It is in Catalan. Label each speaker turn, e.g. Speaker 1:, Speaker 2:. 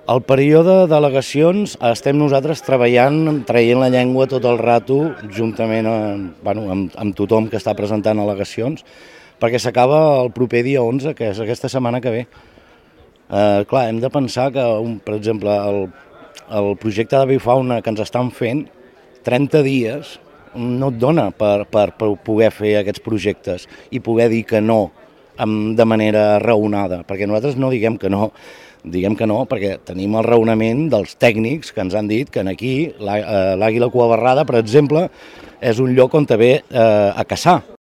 Speaker 1: El període d'al·legacions estem nosaltres treballant, traient la llengua tot el rato, juntament amb tothom que està presentant al·legacions, perquè s'acaba el proper dia 11, que és aquesta setmana que ve. Clar, hem de pensar que, per exemple, el projecte d'avifauna que ens estan fent, 30 dies no et dona per poder fer aquests projectes i poder dir que no de manera raonada, perquè nosaltres no diguem que no, perquè tenim el raonament dels tècnics que ens han dit que aquí l'àguila cuabarrada, per exemple, és un lloc on ve a caçar.